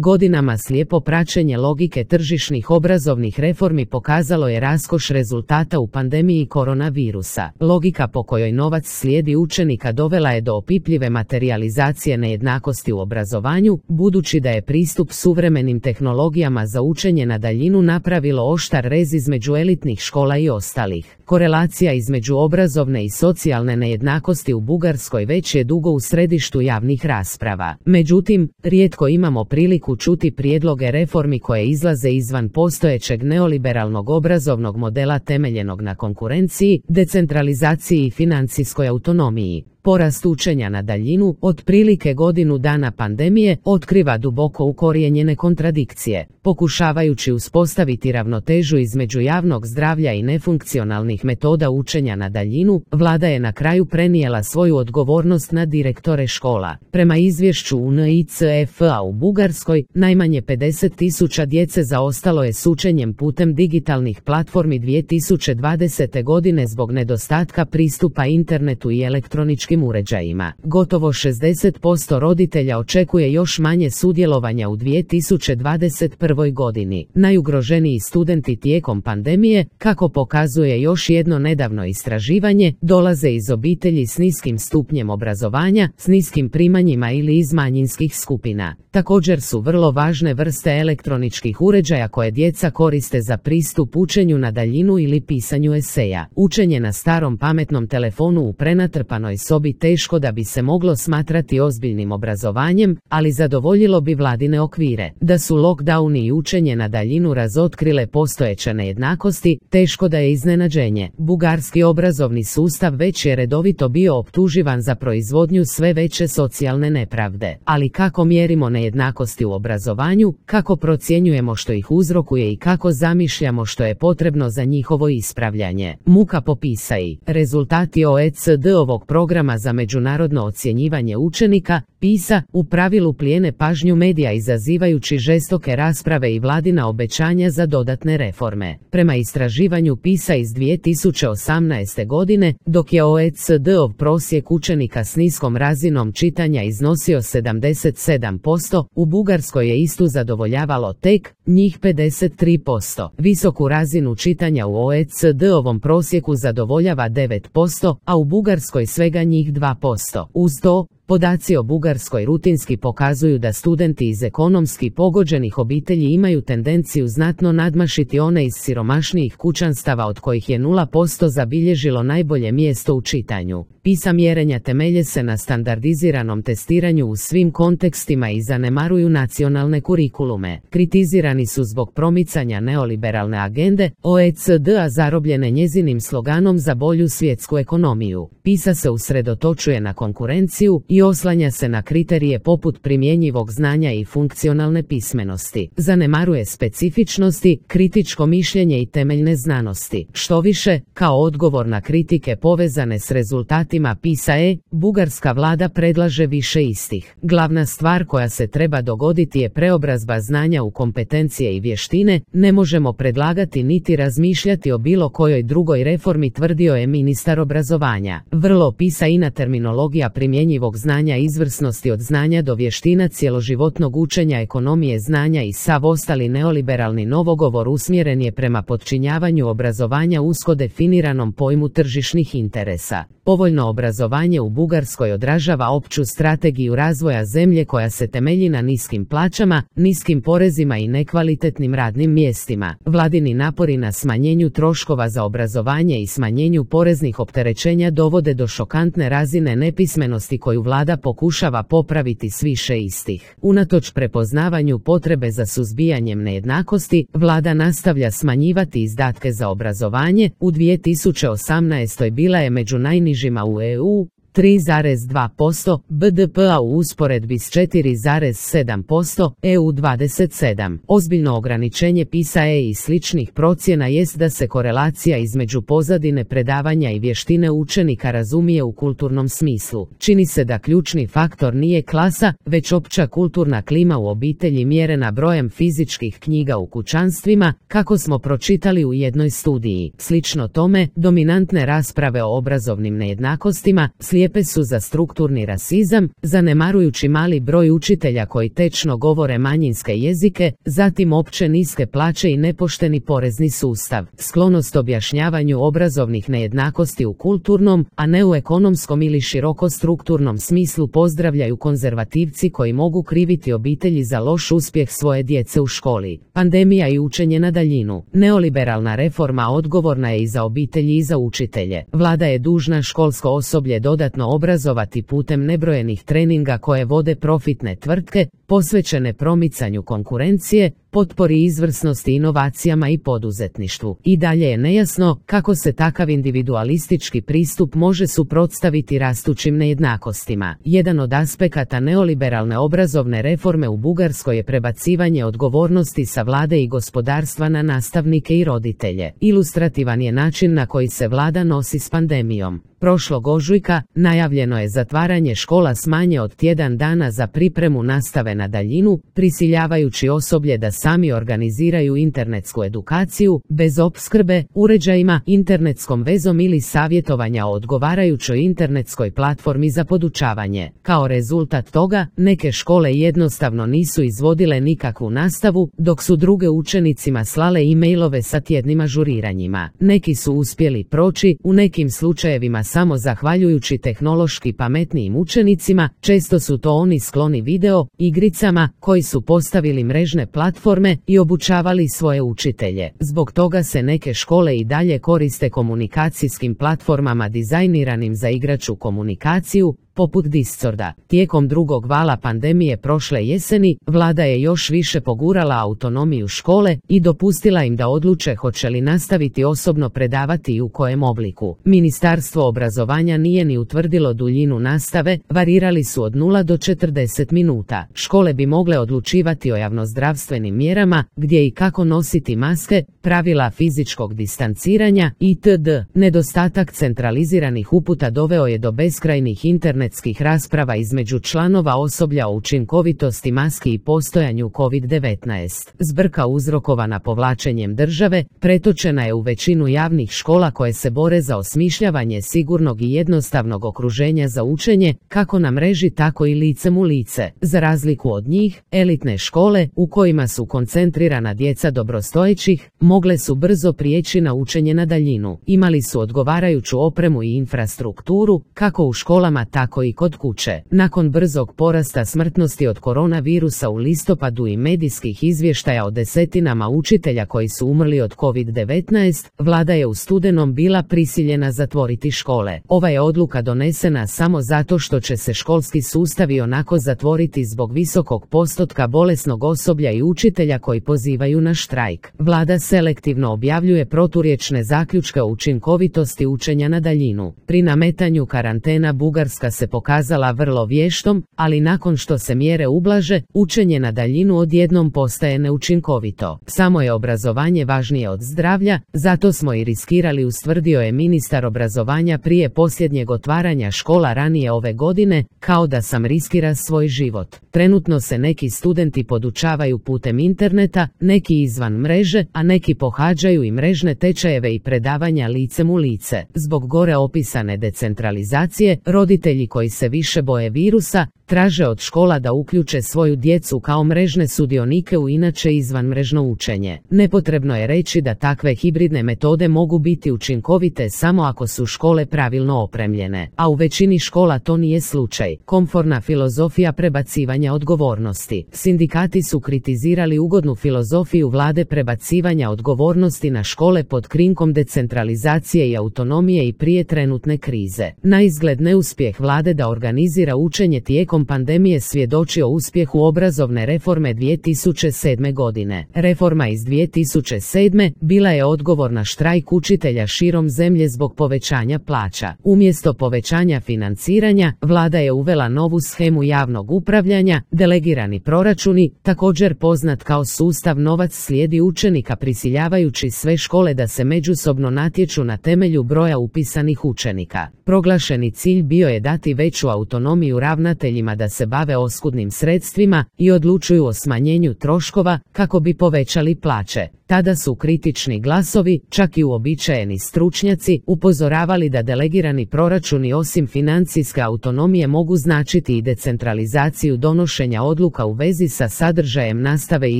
Godinama slijepo praćenje logike tržišnih obrazovnih reformi pokazalo je raskoš rezultata u pandemiji koronavirusa. Logika po kojoj novac slijedi učenika dovela je do opipljive materijalizacije nejednakosti u obrazovanju, budući da je pristup suvremenim tehnologijama za učenje na daljinu napravilo oštar rez između elitnih škola i ostalih. Korelacija između obrazovne i socijalne nejednakosti u Bugarskoj već je dugo u središtu javnih rasprava. Međutim, rijetko imamo priliku čuti prijedloge reformi koje izlaze izvan postojećeg neoliberalnog obrazovnog modela temeljenog na konkurenciji, decentralizaciji i financijskoj autonomiji. Porast učenja na daljinu, otprilike godinu dana pandemije, otkriva duboko ukorijenjene kontradikcije. Pokušavajući uspostaviti ravnotežu između javnog zdravlja i nefunkcionalnih metoda učenja na daljinu, vlada je na kraju prenijela svoju odgovornost na direktore škola. Prema izvješću UNICEF-a u Bugarskoj, najmanje 50.000 djece zaostalo je s učenjem putem digitalnih platformi 2020. godine zbog nedostatka pristupa internetu i elektroničkim uređajima. Gotovo 60% roditelja očekuje još manje sudjelovanja u 2021. godini. Najugroženiji studenti tijekom pandemije, kako pokazuje još jedno nedavno istraživanje, dolaze iz obitelji s niskim stupnjem obrazovanja, s niskim primanjima ili iz manjinskih skupina. Također su vrlo važne vrste elektroničkih uređaja koje djeca koriste za pristup učenju na daljinu ili pisanju eseja. Učenje na starom pametnom telefonu u prenatrpanoj sobi teško da bi se moglo smatrati ozbiljnim obrazovanjem, ali zadovoljilo bi vladine okvire. Da su lockdowni i učenje na daljinu razotkrile postojeće nejednakosti, teško da je iznenađenje. Bugarski obrazovni sustav već je redovito bio optuživan za proizvodnju sve veće socijalne nepravde. Ali kako mjerimo nejednakosti u obrazovanju, kako procjenjujemo što ih uzrokuje i kako zamišljamo što je potrebno za njihovo ispravljanje? Muka popisaj. Rezultati OECD-ovog programa za međunarodno ocjenjivanje učenika, PISA, u pravilu plijene pažnju medija izazivajući žestoke rasprave i vladina obećanja za dodatne reforme. Prema istraživanju PISA iz 2018. godine, dok je OECD-ov prosjek učenika s niskom razinom čitanja iznosio 77%, u Bugarskoj je istu zadovoljavalo tek njih 53%. Visoku razinu čitanja u OECD-ovom prosjeku zadovoljava 9%, a u Bugarskoj svega njih 2%. Uz to, podaci o Bugarskoj rutinski pokazuju da studenti iz ekonomski pogođenih obitelji imaju tendenciju znatno nadmašiti one iz siromašnijih kućanstava od kojih je 0% zabilježilo najbolje mjesto u čitanju. PISA mjerenja temelje se na standardiziranom testiranju u svim kontekstima i zanemaruju nacionalne kurikulume. Kritizirani su zbog promicanja neoliberalne agende OECD-a zarobljene njezinim sloganom za bolju svjetsku ekonomiju. PISA se usredotočuje na konkurenciju i oslanja se na kriterije poput primjenjivog znanja i funkcionalne pismenosti. Zanemaruje specifičnosti, kritičko mišljenje i temeljne znanosti. Štoviše, kao odgovor na kritike povezane s rezultatima PISA-e, bugarska vlada predlaže više istih. Glavna stvar koja se treba dogoditi je preobrazba znanja u kompetencije i vještine, ne možemo predlagati niti razmišljati o bilo kojoj drugoj reformi, tvrdio je ministar obrazovanja. Vrlo PISA-ina terminologija primjenjivog znanja izvrsnosti od znanja do vještina, cjeloživotnog učenja, ekonomije znanja i sav ostali neoliberalni novogovor usmjeren je prema podčinjavanju obrazovanja usko definiranom pojmu tržišnih interesa. Povoljno obrazovanje u Bugarskoj odražava opću strategiju razvoja zemlje koja se temelji na niskim plaćama, niskim porezima i nekvalitetnim radnim mjestima. Vladini napori na smanjenju troškova za obrazovanje i smanjenju poreznih opterećenja dovode do šokantne razine nepismenosti koju vlada pokušava popraviti s više istih. Unatoč prepoznavanju potrebe za suzbijanjem nejednakosti, vlada nastavlja smanjivati izdatke za obrazovanje. U 2018. bila je među najnižima u EU, 3,2% BDP-a u usporedbi s 4,7% EU 27. Ozbiljno ograničenje PISA-e i sličnih procjena jest da se korelacija između pozadine predavanja i vještine učenika razumije u kulturnom smislu. Čini se da ključni faktor nije klasa, već opća kulturna klima u obitelji mjerena brojem fizičkih knjiga u kućanstvima, kako smo pročitali u jednoj studiji. Slično tome, dominantne rasprave o obrazovnim nejednakostima, slijepe su za strukturni rasizam, zanemarujući mali broj učitelja koji tečno govore manjinske jezike, zatim opće niske plaće i nepošteni porezni sustav. Sklonost objašnjavanju obrazovnih nejednakosti u kulturnom, a ne u ekonomskom ili široko strukturnom smislu pozdravljaju konzervativci koji mogu kriviti obitelji za loš uspjeh svoje djece u školi. Pandemija i učenje na daljinu. Neoliberalna reforma odgovorna je i za obitelji i za učitelje. Vlada je dužna školsko osoblje dodatno obrazovati putem nebrojenih treninga koje vode profitne tvrtke, posvećene promicanju konkurencije, potpori izvrsnosti, inovacijama i poduzetništvu. I dalje je nejasno kako se takav individualistički pristup može suprotstaviti rastućim nejednakostima. Jedan od aspekata neoliberalne obrazovne reforme u Bugarskoj je prebacivanje odgovornosti sa vlade i gospodarstva na nastavnike i roditelje. Ilustrativan je način na koji se vlada nosi s pandemijom. Prošlog ožujka najavljeno je zatvaranje škola s manje od tjedan dana za pripremu nastave na daljinu, prisiljavajući osoblje da sami organiziraju internetsku edukaciju, bez opskrbe, uređajima, internetskom vezom ili savjetovanja o odgovarajućoj internetskoj platformi za podučavanje. Kao rezultat toga, neke škole jednostavno nisu izvodile nikakvu nastavu, dok su druge učenicima slale e-mailove sa tjednim ažuriranjima. Neki su uspjeli proći, u nekim slučajevima samo zahvaljujući tehnološki pametnijim učenicima, često su to oni skloni video, igricama, koji su postavili mrežne platforme i obučavali svoje učitelje. Zbog toga se neke škole i dalje koriste komunikacijskim platformama dizajniranim za igračku komunikaciju, poput Discorda. Tijekom drugog vala pandemije prošle jeseni, vlada je još više pogurala autonomiju škole i dopustila im da odluče hoće li nastaviti osobno predavati i u kojem obliku. Ministarstvo obrazovanja nije ni utvrdilo duljinu nastave, varirali su od 0 do 40 minuta. Škole bi mogle odlučivati o javnozdravstvenim mjerama, gdje i kako nositi maske, pravila fizičkog distanciranja itd. Nedostatak centraliziranih uputa doveo je do beskrajnih internetskih rasprava između članova osoblja o učinkovitosti maski i postojanju COVID-19. Zbrka uzrokovana povlačenjem države pretočena je u većinu javnih škola koje se bore za osmišljavanje sigurnog i jednostavnog okruženja za učenje, kako na mreži tako i licem u lice. Za razliku od njih, elitne škole, u kojima su koncentrirana djeca dobrostojećih, mogle su brzo prijeći na učenje na daljinu. Imali su odgovarajuću opremu i infrastrukturu, kako u školama tako i kod kuće. Nakon brzog porasta smrtnosti od koronavirusa u listopadu i medijskih izvještaja o desetinama učitelja koji su umrli od COVID-19, vlada je u studenom bila prisiljena zatvoriti škole. Ova je odluka donesena samo zato što će se školski sustav ionako zatvoriti zbog visokog postotka bolesnog osoblja i učitelja koji pozivaju na štrajk. Vlada selektivno objavljuje proturječne zaključke o učinkovitosti učenja na daljinu. Pri nametanju karantena Bugarska se pokazala vrlo vještom, ali nakon što se mjere ublaže, učenje na daljinu odjednom postaje neučinkovito. Samo je obrazovanje važnije od zdravlja, zato smo i riskirali, ustvrdio je ministar obrazovanja prije posljednjeg otvaranja škola ranije ove godine, kao da sam riskira svoj život. Trenutno se neki studenti podučavaju putem interneta, neki izvan mreže, a neki pohađaju i mrežne tečajeve i predavanja licem u lice. Zbog gore opisane decentralizacije, roditelji koji se više boje virusa, traže od škola da uključe svoju djecu kao mrežne sudionike u inače izvanmrežno učenje. Nepotrebno je reći da takve hibridne metode mogu biti učinkovite samo ako su škole pravilno opremljene, a u većini škola to nije slučaj. Komforna filozofija prebacivanja odgovornosti. Sindikati su kritizirali ugodnu filozofiju vlade prebacivanja odgovornosti na škole pod krinkom decentralizacije i autonomije i prije trenutne krize. Naizgled neuspjeh vlade da organizira učenje tijekom pandemije svjedoči o uspjehu obrazovne reforme 2007. godine. Reforma iz 2007. bila je odgovor na štrajk učitelja širom zemlje zbog povećanja plaća. Umjesto povećanja financiranja, vlada je uvela novu shemu javnog upravljanja, delegirani proračuni, također poznat kao sustav novac slijedi učenika, prisiljavajući sve škole da se međusobno natječu na temelju broja upisanih učenika. Proglašeni cilj bio je dati veću autonomiju ravnateljima da se bave oskudnim sredstvima i odlučuju o smanjenju troškova kako bi povećali plaće. Tada su kritični glasovi, čak i uobičajeni stručnjaci, upozoravali da delegirani proračuni osim financijske autonomije mogu značiti i decentralizaciju donošenja odluka u vezi sa sadržajem nastave i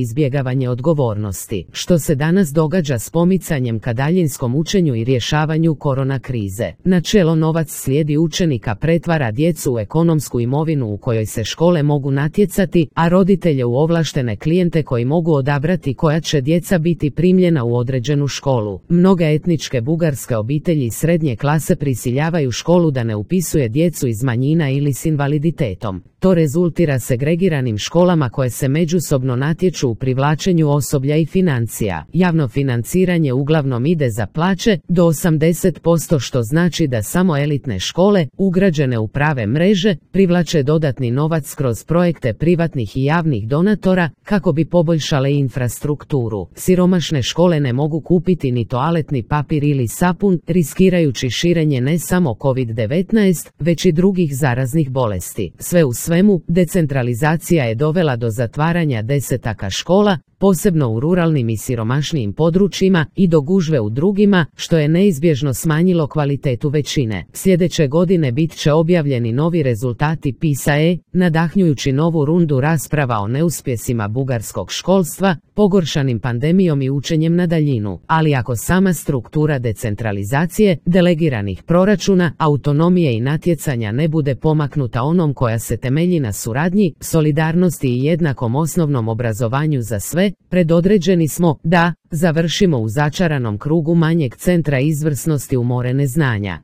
izbjegavanje odgovornosti, što se danas događa s pomicanjem ka daljinskom učenju i rješavanju korona krize. Načelo novac slijedi učenika pretvara djecu u ekonomsku imovinu u kojoj se škole mogu natjecati, a roditelje u ovlaštene klijente koji mogu odabrati koja će djeca biti primljena u određenu školu. Mnoge etničke bugarske obitelji srednje klase prisiljavaju školu da ne upisuje djecu iz manjina ili s invaliditetom. To rezultira segregiranim školama koje se međusobno natječu u privlačenju osoblja i financija. Javno financiranje uglavnom ide za plaće do 80%, što znači da samo elitne škole, ugrađene u prave mreže, privlače dodatni novac kroz projekte privatnih i javnih donatora kako bi poboljšale infrastrukturu. Siromašne škole ne mogu kupiti ni toaletni papir ili sapun, riskirajući širenje ne samo COVID-19, već i drugih zaraznih bolesti. Sve u svemu, decentralizacija je dovela do zatvaranja desetaka škola, posebno u ruralnim i siromašnijim područjima, i do gužve u drugima, što je neizbježno smanjilo kvalitetu većine. Sljedeće godine bit će objavljeni novi rezultati PISA-e, nadahnjujući novu rundu rasprava o neuspjesima bugarskog školstva, pogoršanim pandemijom i učenjem na daljinu. Ali ako sama struktura decentralizacije, delegiranih proračuna, autonomije i natjecanja ne bude pomaknuta onom koja se temelji na suradnji, solidarnosti i jednakom osnovnom obrazovanju za sve, predodređeni smo da završimo u začaranom krugu manjeg centra izvrsnosti u more neznanja.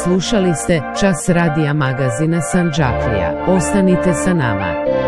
Slušali ste Čas radija magazina Sandžaklija. Ostanite sa nama.